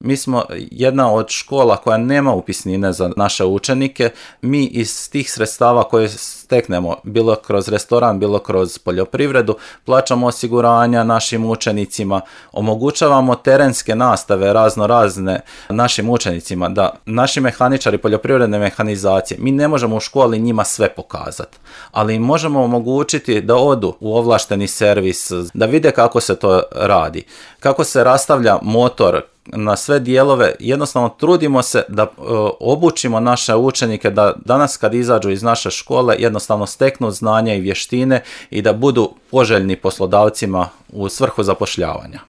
Mi smo jedna od škola koja nema upisnine za naše učenike. Mi iz tih sredstava koje steknemo, bilo kroz restoran, bilo kroz poljoprivredu, plaćamo osiguranja našim učenicima, omogućavamo terenske nastave razne našim učenicima, da naši mehaničari poljoprivredne mehanizacije, mi ne možemo u školi njima sve pokazati, ali im možemo omogućiti da odu u ovlašteni servis, da vide kako se to radi, kako se rastavlja motor na sve dijelove. Jednostavno trudimo se da obučimo naše učenike da danas kad izađu iz naše škole jednostavno steknu znanja i vještine i da budu poželjni poslodavcima u svrhu zapošljavanja.